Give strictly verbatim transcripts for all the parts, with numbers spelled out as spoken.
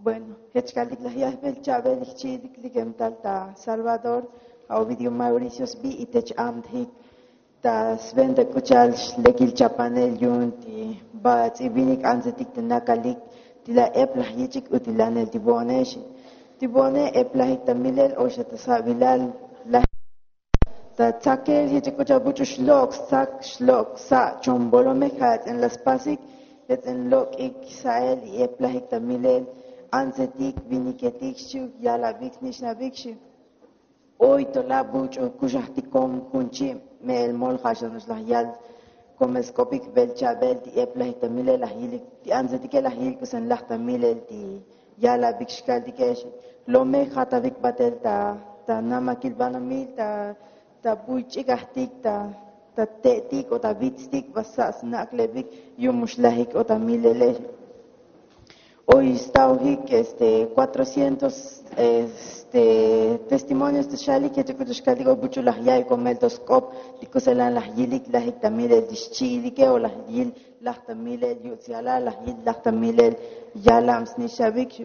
Bueno, jech kaltik laj yajbel cha'bel jchi'itik likem tal ta Salvador, a ovidio mauricio sbi y tech amtjik ta sventa k'ucha'al lekil chapanel yu'un ti bats'i vinik antsetik ta nakalik ti la ep laj yich'ik utilanel ti bo'one xi. Ti bo'one ep lajik ta milel o xa ta sa'bilal laj ta tsakel jech k'ucha'al buch'u xlok' stsak xlok' sa' chombolomej ja' ts'in la spasik, jech ts'in lok'ik sa'el y ep lajik ta milel antsetik viniketik xchi'uk yalabik snich'nabik xi. Oy to la buch'u kuxajtik kom jun chi' me'el mol ja' xa no'ox laj yal komel sk'opik bel cha'bel ti ep lajik ta milel laj yilik ti antsetike laj yilik k'usen laj ta milel ti yalabik xkaltike xi. Lomej jatavik batel ta ta namakil banomil ta ta buy ch'ikajtik ta ta te'tik o ta vitstik ba sa' snak'lebik yu'un mux lajik o ta milele xi. Oy staojik este cuatrocientos este testimonios ta xalik jech k'ucha'al xkaltik oy buch'u laj ya'iy komel to sk'op ti k'uselan laj yilik lajik ta milel ti xchi'ilike o laj yil laj ta milel yuts yalal laj yil laj ta milel yalam snich'abik xi.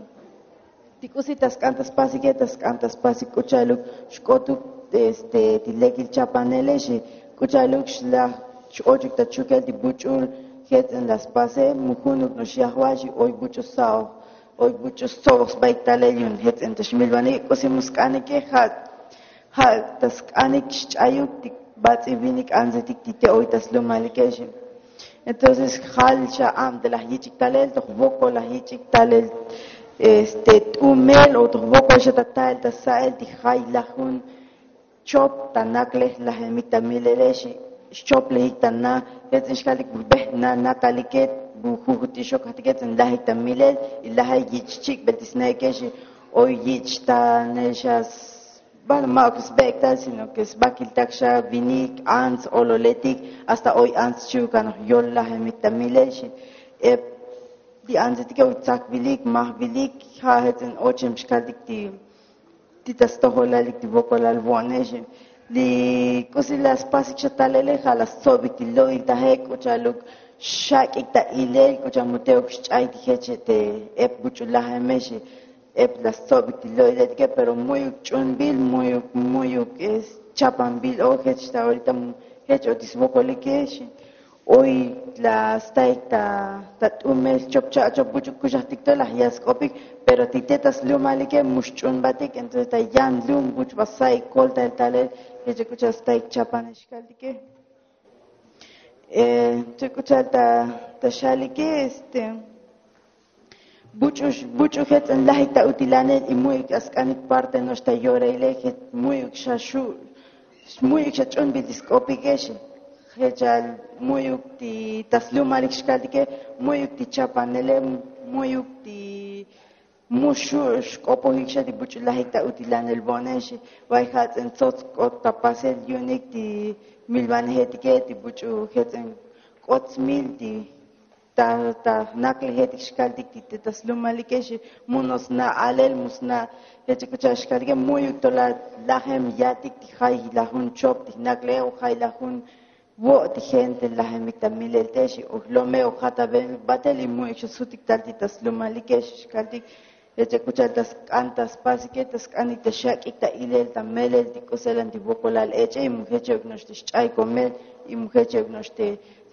Ti k'usi ta sk'an ta spasike ta sk'an ta spasik k'ucha'aluk xk'otuk este ti lekil chapanele xi. K'ucha'aluk xlaj x-ochuk ta chukel ti buch'ul jech ts'in la spase mu junuk no'ox yajwal xi. Oy buch'u sa'oj oy buch'u stsoboj sbaik talel yu'un jech ts'in ta xmilbanike k'usi mu sk'anike ja' ja' ta sk'anik xch'ayuk ti bats'i vinik antsetik ti te oy ta slumalike xi. Entonces jal xa am te laj yich'ik talel to jvokol laj yich'ik talel este t'umel o to jvokol xa ta ta'el ta sa'el ti jay lajun chop ta naklej lajemik ta milele xi. Xchoplejik ta na jech ts'in xkaltik bu jbej na nakalike bu jujutix xokajtike ts'in lajik ta milel y lajel yich' chik'bel ti snaike xi. Oy yich' tanel xa s- Bueno ma' ok sbe'ektal sino ke sbakiltak xa vinik ants ololetik hasta oy ants chi'ukanoj yol lajemik ta milel xi. Ep ti antsetike oy tsakvilik majvilik ja' jech ts'in ochem xkaltik ti ti ta stojolalik ti vokolal vo'one xi. Li k'usi la spasik xa talele ja' la stsobik ti lo'il taje k'ucha'aluk xak'ik ta ilel k'ucha'al mu te'uk xch'ay ti jech te ep buch'u lajeme xi. Ep la stsobik ti lo'iletike pero mu'yuk ch'unbil mu'yuk mu'yuk chapanbil o jech ta orita jech o ti svokolike xi. Oy la staik ta ta t'umel chop cha' chop buch'u kuxajtik to laj yal sk'opik pero ti te ta slumalike mu xch'unbatik entonces ta yan lum buch'u ba saik koltael talel jech k'ucha'al staik chapanel xkaltike. Jech k'ucha'al ta ta xalike este buch'u buch'u jech ts'in lajik ta utilanel y mu'yuk ya sk'anik parte no'ox ta yoraile jech mu'yuk xa xu' mu'yuk xa ch'unbil ti sk'opike xi. Jechal mu'yuk ti ta slumalik xkaltike mu'yuk ti chapanele mu'yuk ti mu xu' xk'opojik xa ti buch'u lajik ta utilanel bo'one xi. Vay ja' ts'in tsots k'ot ta pasel yu'unik ti milvanejetike ti buch'u jech ts'in k'ot smil ti ta ta jnaklejetik xkaltik ti te ta slumalike xi. Mu no sna' alel mu sna' jech k'ucha'al xkaltike mu'yuk to la lajem yatik ti jay lajun chop ti jnakleje o jay lajun vo' ti gente lajemik ta milel te xi o jlome o jataben batel y mu'yuk xa sjutik tal ti ta slumalike xi xkaltik. Jech k'ucha'al ta sk'an ta spasike ta sk'anik ta xak'ik ta ilel ta melel ti k'uselan ti vokolal ech'e y mu jech euk no'ox ti xch'ay komel y mu jech euk no'ox ti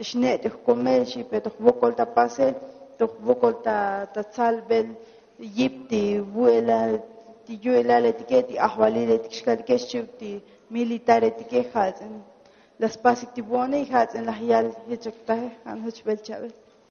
xne't'ik komel xi pe to jvokol ta pasel to jvokol ta ta tsalbel yip ti vu'elal ti yu'elaletike ti ajvaliletik xkaltike xchi'uk ti militaretike ja' ts'in la spasik ti vo'one y ja' ts'in laj yal jech euk taje ja' no'ox jech bel cha'bel.